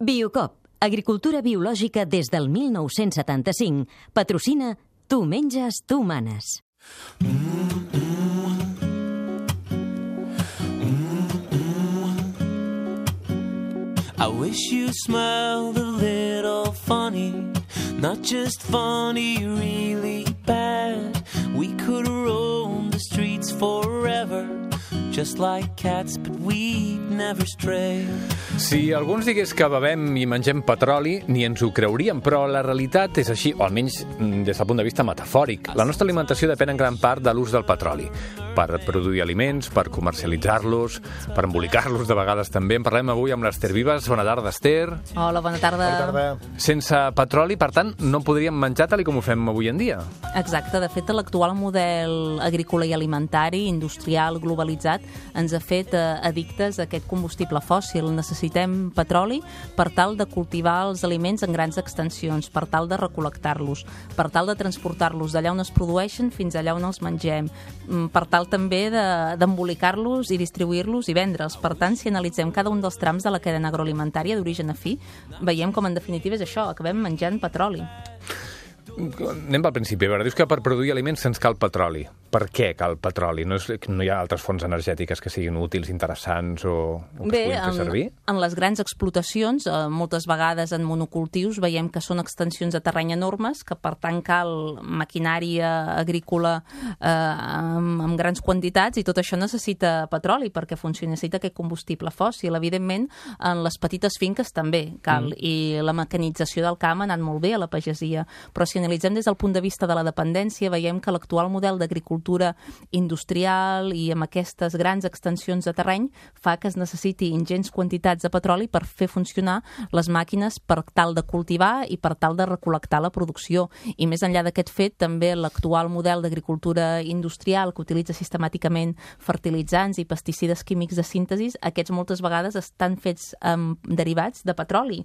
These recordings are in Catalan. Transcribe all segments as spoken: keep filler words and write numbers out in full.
Biocop, agricultura biològica des del mil nou-cents setanta-cinc. Patrocina Tu menges, tu manes. I wish you smiled a little funny, not just funny, really bad. We could roam the streets forever, just like cats, but we'd never stray. Si algú ens digués que bevem i mengem petroli, ni ens ho creuríem, però la realitat és així, o almenys des del punt de vista metafòric. La nostra alimentació depèn en gran part de l'ús del petroli, per produir aliments, per comercialitzar-los, per embolicar-los de vegades també. En parlem avui amb l'Ester Vives. Bona tarda, Ester. Hola, bona tarda. Bona tarda. Sense petroli, per tant, no podríem menjar tal com ho fem avui en dia. Exacte. De fet, l'actual model agrícola i alimentari, industrial, globalitzat, ens ha fet eh, addictes a aquest combustible fòssil. Necessitem petroli per tal de cultivar els aliments en grans extensions, per tal de recol·lectar-los, per tal de transportar-los d'allà on es produeixen fins allà on els mengem, per tal també d'embolicar-los i distribuir-los i vendre'ls. Per tant, si analitzem cada un dels trams de la cadena agroalimentària d'origen a fi, veiem com en definitiva és això, acabem menjant petroli. Anem pel principi. A veure, dius que per produir aliments se'ns cal petroli. Per què cal petroli? No, és, no hi ha altres fonts energètiques que siguin útils, interessants o, o que Bé, es puguin fer servir? En, en les grans explotacions, eh, moltes vegades en monocultius, veiem que són extensions de terreny enormes, que per tant cal maquinària agrícola eh, amb, amb grans quantitats, i tot això necessita petroli perquè funcioni, necessita aquest combustible fòssil. Evidentment, en les petites finques també cal, mm. i la mecanització del camp ha anat molt bé a la pagesia, però si analitzem des del punt de vista de la dependència, veiem que l'actual model d'agricultura industrial i amb aquestes grans extensions de terreny fa que es necessiti ingents quantitats de petroli per fer funcionar les màquines per tal de cultivar i per tal de recol·lectar la producció. I més enllà d'aquest fet, també l'actual model d'agricultura industrial que utilitza sistemàticament fertilitzants i pesticides químics de síntesi, aquests moltes vegades estan fets amb derivats de petroli.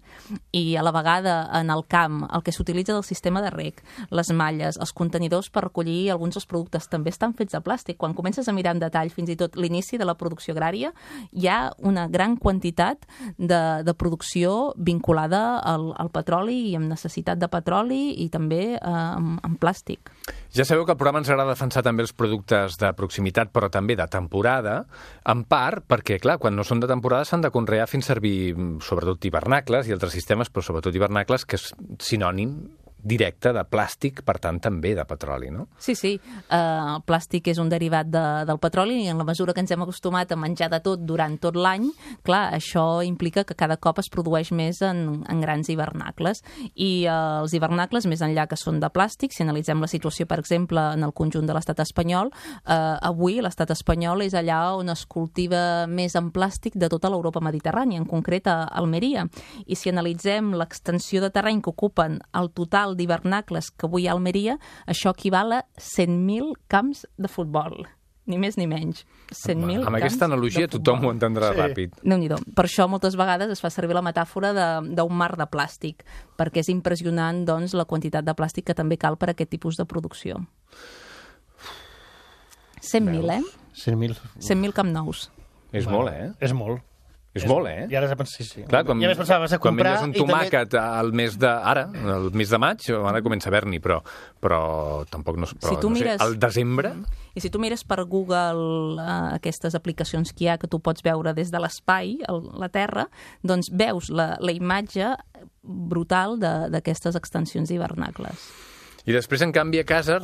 I a la vegada en el camp el que s'utilitza del sistema de reg, les malles, els contenidors per recollir alguns dels productes també estan fets de plàstic. Quan comences a mirar en detall fins i tot l'inici de la producció agrària, hi ha una gran quantitat de, de producció vinculada al, al petroli i amb necessitat de petroli i també eh, amb, amb plàstic. Ja sabeu que al programa ens agrada defensar també els productes de proximitat, però també de temporada, en part perquè, clar, quan no són de temporada s'han de conrear fent servir sobretot hivernacles i altres sistemes, però sobretot hivernacles, que és sinònim directe de plàstic, per tant també de petroli, no? Sí, sí. Uh, el plàstic és un derivat de, del petroli i en la mesura que ens hem acostumat a menjar de tot durant tot l'any, clar, això implica que cada cop es produeix més en, en grans hivernacles. I uh, els hivernacles, més enllà que són de plàstic, si analitzem la situació, per exemple, en el conjunt de l'estat espanyol, uh, avui l'estat espanyol és allà on es cultiva més en plàstic de tota l'Europa mediterrània, en concret a Almeria. I si analitzem l'extensió de terreny que ocupen el total d'hivernacles que avui hi ha a Almeria, això equival a cent mil camps de futbol. Ni més ni menys. cent mil Amb aquesta analogia tothom ho entendrà sí. ràpid. Déu-n'hi-do. Per això moltes vegades es fa servir la metàfora d'un mar de plàstic, perquè és impressionant, doncs, la quantitat de plàstic que també cal per a aquest tipus de producció. cent mil, eh? cent mil. cent mil camp nous. És bueno, molt, eh? És molt. És molt, eh? I ara has de pensar, sí, sí. Clar, quan, ja pensava, vas a comprar... Quan menges un tomàquet també... al mes de... Ara, el mes de maig, ara comença a haver-n'hi, però, però tampoc no, però, si tu no mires... sé, al desembre... I si tu mires per Google eh, aquestes aplicacions que hi ha, que tu pots veure des de l'espai, la Terra, doncs veus la, la imatge brutal d'aquestes extensions hivernacles. I després, en canvi, a casa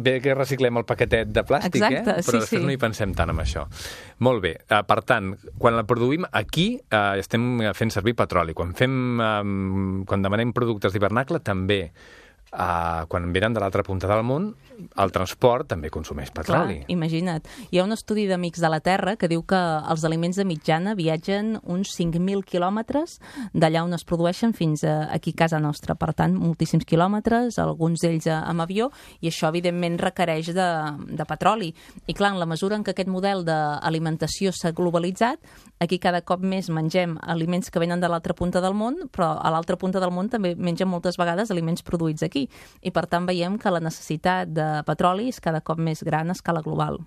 bé que reciclem el paquetet de plàstic, Exacte, eh? Però sí, després sí. no hi pensem tant en això. Molt bé. Uh, per tant, quan la produïm aquí, uh, estem fent servir petroli. Quan fem, um, quan demanem productes d'hivernacle, també. Uh, quan venen de l'altra punta del món, el transport també consumeix petroli. Clar, imagina't. Hi ha un estudi d'Amics de la Terra que diu que els aliments de mitjana viatgen uns cinc mil quilòmetres d'allà on es produeixen fins a aquí a casa nostra. Per tant, moltíssims quilòmetres, alguns d'ells amb avió, i això, evidentment, requereix de, de petroli. I, clar, en la mesura en què aquest model d'alimentació s'ha globalitzat, aquí cada cop més mengem aliments que venen de l'altra punta del món, però a l'altra punta del món també mengen moltes vegades aliments produïts aquí. I, per tant, veiem que la necessitat de petroli és cada cop més gran a escala global.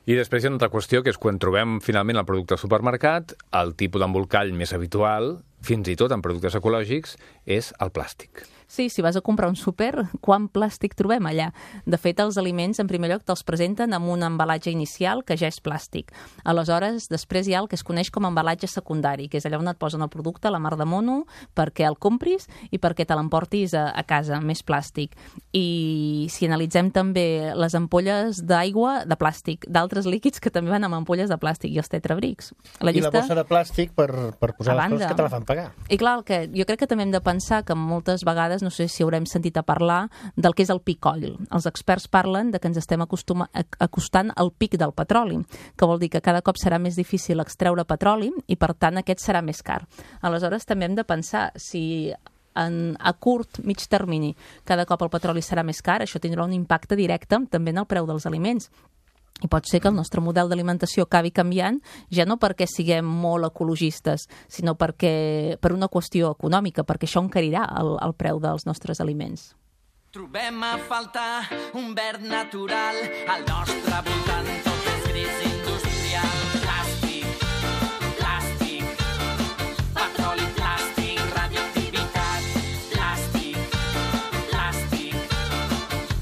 I després hi ha una altra qüestió, que és quan trobem finalment el producte al supermercat, el tipus d'embolcall més habitual fins i tot en productes ecològics, és el plàstic. Sí, si vas a comprar un súper, quant plàstic trobem allà? De fet, els aliments, en primer lloc, te'ls presenten amb un embalatge inicial que ja és plàstic. Aleshores, després hi ha el que es coneix com a embalatge secundari, que és allà on et posen el producte, la mar de mono, perquè el compris i perquè te l'emportis a, a casa, més plàstic. I si analitzem també les ampolles d'aigua de plàstic, d'altres líquids que també van amb ampolles de plàstic i els tetrabrics. La llista... I la bossa de plàstic per, per posar les coses que te la fan pagar. I clar, el que, jo crec que també hem de pensar que moltes vegades no sé si haurem sentit a parlar del que és el peak oil. Els experts parlen de que ens estem acostuma, acostant al pic del petroli, que vol dir que cada cop serà més difícil extreure petroli i, per tant, aquest serà més car. Aleshores, també hem de pensar si en, a curt, mig termini, cada cop el petroli serà més car, això tindrà un impacte directe també en el preu dels aliments. I pot ser que el nostre model d'alimentació acabi canviant, ja no perquè siguem molt ecologistes, sinó perquè per una qüestió econòmica, perquè això encarirà el, el preu dels nostres aliments. Trobem a faltar un verd natural, al nostre voltant tot és gris industrial. Plàstic, plàstic, petroli, plàstic, radioactivitat. Plàstic, plàstic,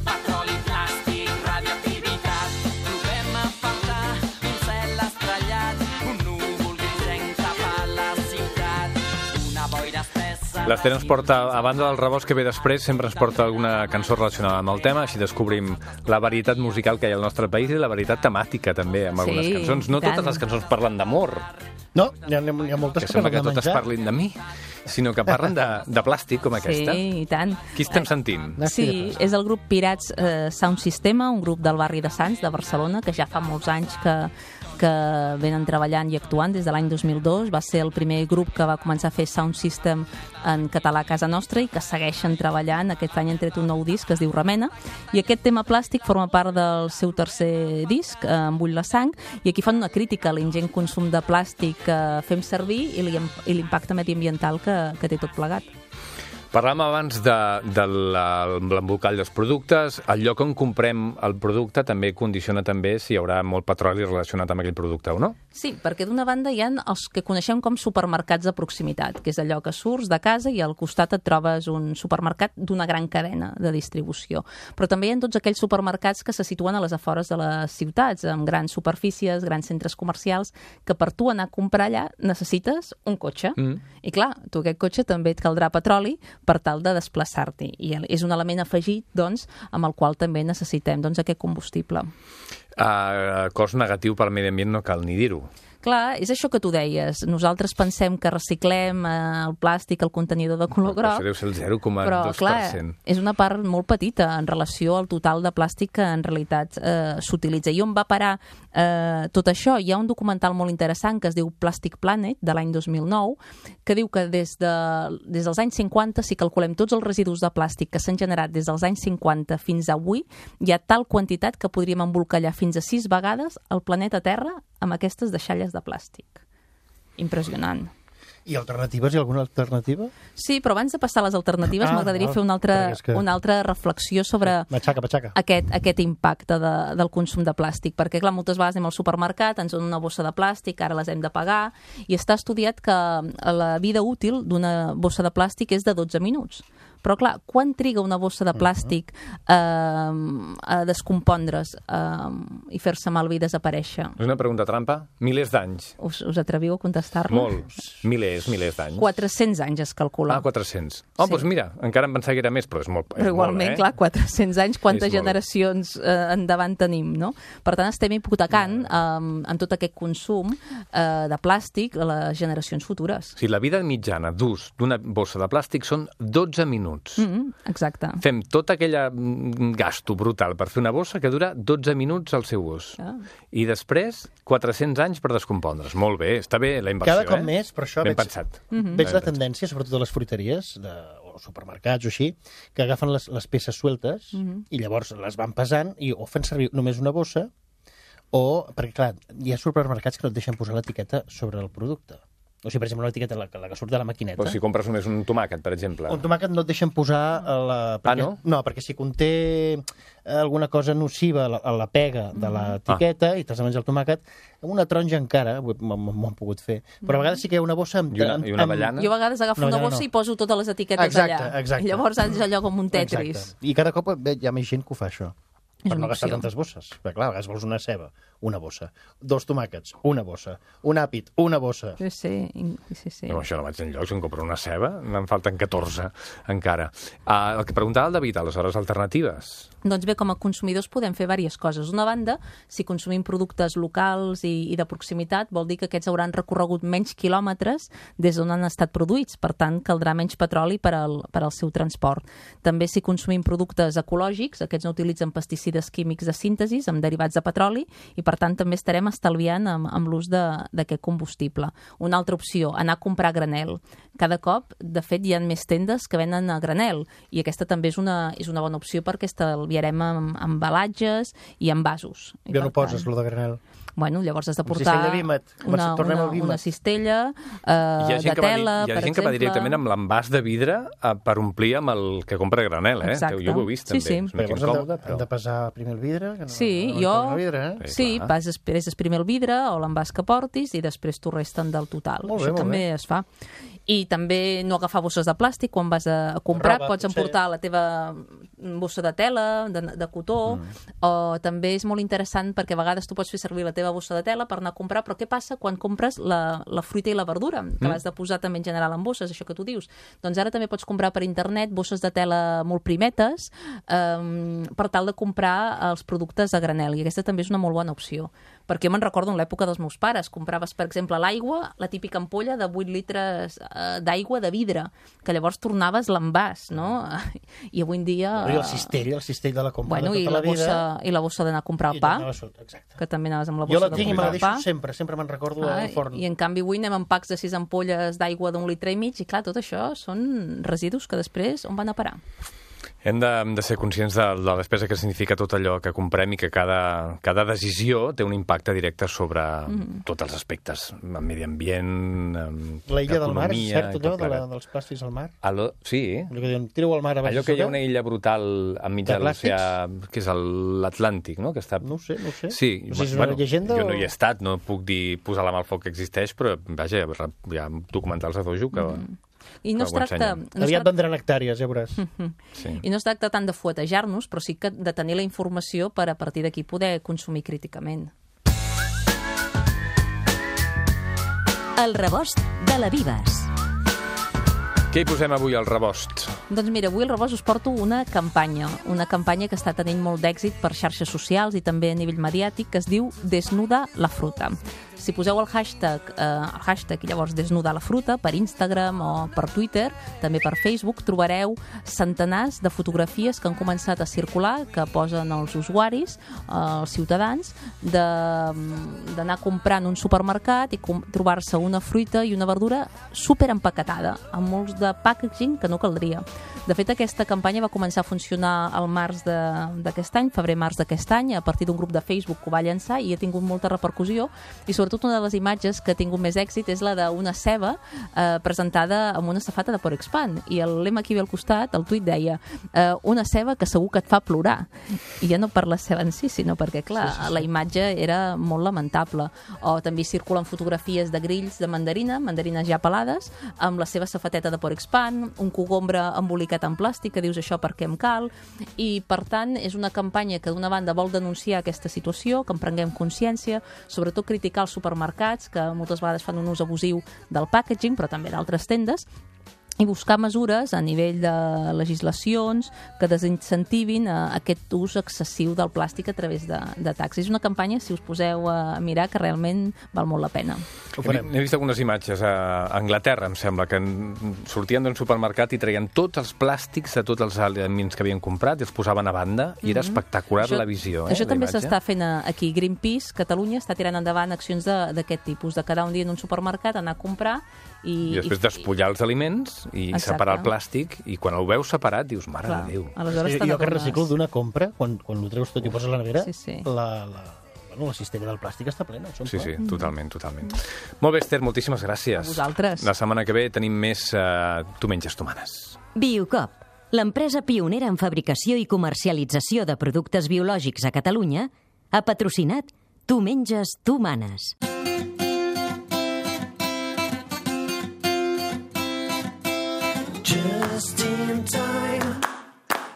petroli, plàstic, radioactivitat. Trobem a faltar un cel estrellat, un núvol grisenc tapa la ciutat, una boira espessa. L'Ester ens porta, a banda del rebost que ve després, sempre ens porta alguna cançó relacionada amb el tema, així descobrim la varietat musical que hi ha al nostre país i la varietat temàtica també amb algunes Sí, cançons. No tant. totes les cançons parlen d'amor, No, hi ha, hi ha moltes que que, sembla parlen que de totes menjar. parlin de mi, sinó que parlen de, de plàstic com aquesta. Sí, i tant. Qui estem sentint? Sí, és el grup Pirats eh, Sound Systema, un grup del barri de Sants, de Barcelona, que ja fa molts anys que, que venen treballant i actuant des de l'any dos mil dos. Va ser el primer grup que va començar a fer sound system en català a casa nostra i que segueixen treballant. Aquest any han tret un nou disc que es diu Remena, i aquest tema plàstic forma part del seu tercer disc, eh, Em bull la sang, i aquí fan una crítica a l'ingent consum de plàstic que fem servir i l'impacte mediambiental que, que té tot plegat. Parlàvem abans de, de l'embolcall dels productes. El lloc on comprem el producte també condiciona també si hi haurà molt petroli relacionat amb aquell producte o no? Sí, perquè d'una banda hi ha els que coneixem com supermercats de proximitat, que és allò que surts de casa i al costat et trobes un supermercat d'una gran cadena de distribució. Però també hi ha tots aquells supermercats que se situen a les afores de les ciutats, amb grans superfícies, grans centres comercials, que per tu anar a comprar allà necessites un cotxe. Mm. I clar, tu aquest cotxe també et caldrà petroli per tal de desplaçar-t'hi. I és un element afegit, doncs, amb el qual també necessitem doncs, aquest combustible. Uh, cost negatiu per al medi ambient no cal ni dir-ho. Clar, és això que tu deies. Nosaltres pensem que reciclem eh, el plàstic, el contenidor de color groc. Això deu ser el zero coma dos per cent. Però, clar, és una part molt petita en relació al total de plàstic que en realitat eh, s'utilitza. I on va parar eh, tot això? Hi ha un documental molt interessant que es diu Plastic Planet, de l'any dos mil nou, que diu que des, de, des dels anys cinquanta, si calculem tots els residus de plàstic que s'han generat des dels anys cinquanta fins a avui, hi ha tal quantitat que podríem embolcallar fins a sis vegades el planeta Terra amb aquestes deixalles de plàstic. Impressionant. I alternatives? Hi ha alguna alternativa? Sí, però abans de passar a les alternatives Ah, m'agradaria val, fer una altra, perquè és que- una altra reflexió sobre Matxaca, matxaca. aquest, aquest impacte de, del consum de plàstic, perquè clar, moltes vegades anem al supermercat, ens donen una bossa de plàstic, ara les hem de pagar, i està estudiat que la vida útil d'una bossa de plàstic és de dotze minuts. Però clar, quan triga una bossa de plàstic eh, a descompondre's eh, i fer-se malbé i desaparèixer? És una pregunta trampa? Milers d'anys. Us, us atreviu a contestar-la? Molts. Milers, milers d'anys. quatre-cents anys es calcula. Ah, quatre-cents. Oh, Sí. doncs mira, encara em pensava que era més, però és molt, és Però igualment, molt, eh? clar, quatre-cents anys, quantes És molt. generacions eh, endavant tenim, no? Per tant, estem hipotecant eh, amb tot aquest consum eh, de plàstic a les generacions futures. O sigui, la vida mitjana d'ús d'una bossa de plàstic són dotze minuts. Mm -hmm, exacte. Fem tot aquell gasto brutal per fer una bossa que dura dotze minuts al seu ús. Ah. I després, quatre-cents anys per descompondre's. Molt bé, està bé la inversió, Cada cop eh? més, per això Ben veig, pensat. Mhm. veig la tendència, sobretot a les fruiteries de, o supermercats o així, que agafen les, les peces sueltes i llavors les van pesant i o fan servir només una bossa o, perquè clar, hi ha supermercats que no et deixen posar l'etiqueta sobre el producte. O sigui, per exemple, una etiqueta, la, la que surt de la maquineta. Però si compres només un tomàquet, per exemple. Un tomàquet no et deixen posar a la... Perquè, Ah, no? No, perquè si conté alguna cosa nociva a la, a la pega de l'etiqueta i t'has de menjar el tomàquet, amb una taronja encara, m'ho han pogut fer, però a vegades sí que hi ha una bossa amb... I una, i una avellana? Jo a vegades agafo No, una no, bossa no. i poso totes les etiquetes Exacte, allà. exacte. I llavors és allò com un Tetris. Exacte. I cada cop bé, hi ha més gent que ho fa, això. És Per una no gastar opció. tantes bosses. Perquè, clar, a vegades vols una ceba, una bossa. Dos tomàquets, una bossa. Un àpid, una bossa. Sí, sí, sí, sí. No, això no vaig enlloc, si em compro una ceba, me'n falten catorze encara. Uh, el que preguntava el David, aleshores, alternatives. Doncs bé, com a consumidors podem fer diverses coses. D'una banda, si consumim productes locals i, i de proximitat, vol dir que aquests hauran recorregut menys quilòmetres des d'on han estat produïts. Per tant, caldrà menys petroli per al, per al seu transport. També si consumim productes ecològics, aquests no utilitzen pesticides químics de síntesi amb derivats de petroli i, per tant, també estarem estalviant amb, amb l'ús d'aquest combustible. Una altra opció, anar a comprar granel. Cada cop, de fet, hi ha més tendes que venen a granel i aquesta també és una, és una bona opció perquè estalviarem amb embalatges i envasos. I Ja per no poses, tant, lo de granel. Bueno, llavors has de Amb portar cistella Vímet. Com una, si tornem una, al Vímet. una cistella Hi eh, ha de gent, que va, tela, hi ha per gent que va exemple. directament amb l'envàs de vidre uh, per omplir amb el que compra a granel, eh? Exacte. Jo ho he vist, Sí, també. sí. És una mica Llavors hem de, incòmode, hem però... de pesar primer el vidre. Que no, Sí, no jo... El vidre, eh? Sí, Sí, clar. vas després d'esprimir el vidre o l'envàs que portis i després t'ho resten del total. Molt bé, Això molt també bé. es fa. I també no agafar bosses de plàstic quan vas a comprar. Roba, Pots potser. emportar la teva bossa de tela, de, de cotó, mm. o també és molt interessant perquè a vegades tu pots fer servir la teva bossa de tela per anar a comprar, però què passa quan compres la, la fruita i la verdura, que mm. l'has de posar també en general en bosses, això que tu dius? Doncs ara també pots comprar per internet bosses de tela molt primetes um, per tal de comprar els productes a granel, i aquesta també és una molt bona opció. Perquè jo me'n recordo en l'època dels meus pares, compraves, per exemple, l'aigua, la típica ampolla de vuit litres eh, d'aigua de vidre, que llavors tornaves l'envàs, no? I avui en dia... I el cistell, el cistell de la compra Bueno, de i tota la, la vida. bossa, i la bossa d'anar a comprar I el pa, tornava sota, exacte. que també anaves amb la Jo bossa la de tinc i me comprar la el deixo pa. sempre, sempre me'n recordo Ah, al forn. I en canvi avui anem amb packs de sis ampolles d'aigua d'un litre i mig i clar, tot això són residus que després on van a parar? Hem de, hem de ser conscients de, de la despesa que significa tot allò que comprem i que cada, cada decisió té un impacte directe sobre mm. tots els aspectes, amb medi ambient, amb La illa del mar, és economia, cert, i allò tot de la, plegat. dels plàstics al mar? Allò, sí, Allò que diuen, tireu al mar a baix. allò que hi ha una illa brutal enmig De de l'oceà, que és el- l'Atlàntic, no? Que està... No ho sé, no ho sé. Sí, No sé si és una llegenda jo no o- hi he estat, no puc dir posar la mà al foc que existeix, però vaja, hi ha documentals a dojo que... Mm. I no Que es ho tracta... ensenyen. No es Aviat tracta... vendran hectàrees, ja veuràs. Sí. I no es tracta tant de fuetejar-nos, però sí que de tenir la informació per a partir d'aquí poder consumir críticament. El rebost de la Vives. Què hi posem avui al rebost? Doncs mira, avui al Rebost us porto una campanya, una campanya que està tenint molt d'èxit per xarxes socials i també a nivell mediàtic, que es diu Desnuda la fruta. Si poseu el hashtag, eh, el hashtag i llavors Desnuda la fruta per Instagram o per Twitter, també per Facebook, trobareu centenars de fotografies que han començat a circular, que posen els usuaris, eh, els ciutadans, d'anar a comprar en un supermercat i trobar-se una fruita i una verdura super empaquetada, amb molts de packaging que no caldria. De fet, aquesta campanya va començar a funcionar al març d'aquest any, febrer-març d'aquest any, a partir d'un grup de Facebook que ho va llançar i ha tingut molta repercussió, i sobretot una de les imatges que ha tingut més èxit és la d'una ceba eh, presentada amb una safata de Porexpan, i el lema aquí al costat, el tuit deia eh, una ceba que segur que et fa plorar, i ja no per la ceba en si, sinó perquè, clar, sí, sí, sí. la imatge era molt lamentable. O també circulen fotografies de grills de mandarina, mandarines ja pelades, amb la seva safateta de Porexpan, un cogombre embolicat en plàstic, que dius això per què em cal, i per tant és una campanya que d'una banda vol denunciar aquesta situació, que en prenguem consciència, sobretot criticar els supermercats, que moltes vegades fan un ús abusiu del packaging, però també d'altres tendes, i buscar mesures a nivell de legislacions que desincentivin eh, aquest ús excessiu del plàstic a través de, de taxis. És una campanya, si us poseu a mirar, que realment val molt la pena. Ho farem. He vist algunes imatges a Anglaterra, em sembla, que sortien d'un supermercat i traien tots els plàstics de tots els aliments que havien comprat i els posaven a banda, i era espectacular Això- la visió. Eh, Això la també imatge. s'està fent a- aquí. Greenpeace, Catalunya, està tirant endavant accions de- d'aquest tipus, de quedar un dia en un supermercat, anar a comprar i... I després despullar els aliments i Exacte. separar el plàstic, i quan el veus separat dius, mare Clar, de Déu. aleshores Jo, te jo que n'adones. reciclo d'una compra, quan, quan ho treus tot i ho poses a la nevera, Sí, sí. La, la, bueno, la cistella del plàstic està plena. Sí, sí, totalment, totalment. Molt bé, Esther, moltíssimes gràcies. A vosaltres. La setmana que ve tenim més uh, Tu menges, tu manes. Biocop, l'empresa pionera en fabricació i comercialització de productes biològics a Catalunya, ha patrocinat Tu menges, tu manes. Just in time,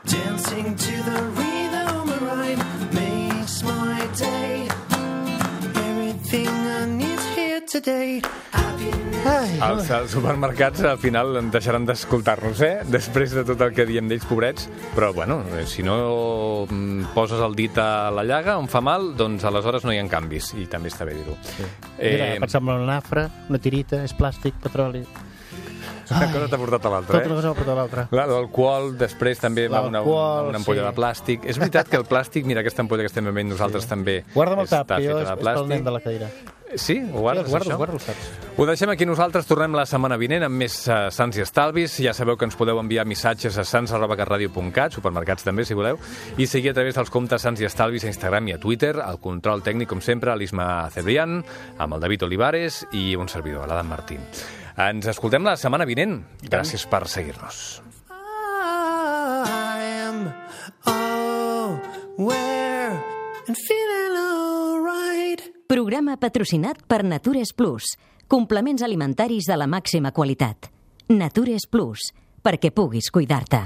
dancing to the rhythm of rhyme makes my day. Everything I need here today. Ai, Els, els supermercats al final en deixaran d'escoltar-nos, eh? Després de tot el que diem d'ells, pobrets. Però, bueno, si no mm, poses el dit a la llaga on fa mal, doncs aleshores no hi ha canvis. I també està bé dir-ho. sí. Mira, Eh, pensar en una nafra, una tirita, és plàstic, petroli... una cosa t'ha portat a l'altra, Tota una eh? cosa va portar a l'altra. La- L'alcohol, després també va una, L'alcohol, una ampolla sí. de plàstic. És veritat que el plàstic, mira, aquesta ampolla que estem bevent nosaltres també Guarda'm el tap, està que jo feta és, de és pel nen plàstic. de la cadira. Sí? Ho guardes, Sí, guardo, això? guardo, saps? Ho deixem aquí nosaltres, tornem la setmana vinent amb més uh, Sants i Estalvis. Ja sabeu que ens podeu enviar missatges a sants arroba catradio punt cat, supermercats també, si voleu, i seguir a través dels comptes Sants i Estalvis a Instagram i a Twitter, el control tècnic, com sempre, a l'Isma Cebrián, amb el David Olivares i un servidor, l'Adam Martín. Ens escoltem la setmana vinent. Gràcies per seguir-nos. I am aware and feeling alright. Programa patrocinat per Natures Plus, complements alimentaris de la màxima qualitat. Natures Plus, perquè puguis cuidar-te.